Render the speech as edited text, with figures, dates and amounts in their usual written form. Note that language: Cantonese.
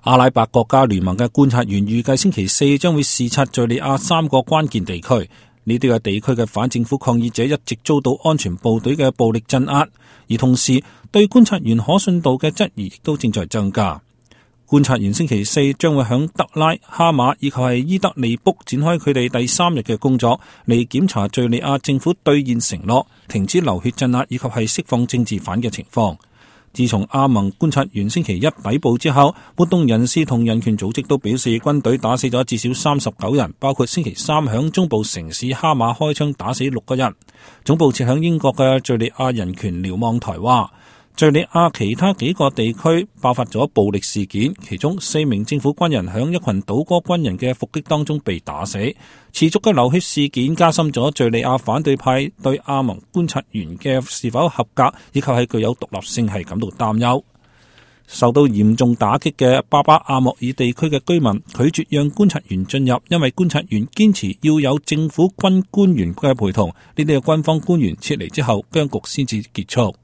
阿拉伯國家聯盟嘅觀察員預計星期四將會視察敘利亞3個關鍵地區，呢啲嘅地區嘅反政府抗議者一直遭到安全部隊嘅暴力鎮壓，而同時對觀察員可信度嘅質疑亦都正在增加。觀察員星期四將會響德拉、哈馬以及係伊德利卜展開佢哋第3日嘅工作，嚟檢查敘利亞政府兌現承諾，停止流血鎮壓以及係釋放政治犯嘅情況。自從阿盟觀察員星期一抵埗之後，活動人士同人權組織都表示軍隊打死咗至少39人，包括星期三響中部城市哈馬開槍打死6個人。總部設響英國嘅敘利亞人權瞭望台話，敘利亞其他幾個地區爆發咗暴力事件，其中4名政府軍人響一群倒戈軍人嘅伏擊當中被打死。持續嘅流血事件加深咗敘利亞反對派對阿盟觀察員嘅是否合格以及係具有獨立性係感到擔憂。受到嚴重打擊嘅巴巴阿莫爾地區嘅居民拒絕讓觀察員進入，因為觀察員堅持要有政府軍官員嘅陪同。呢啲嘅軍方官員撤離之後，僵局先至結束。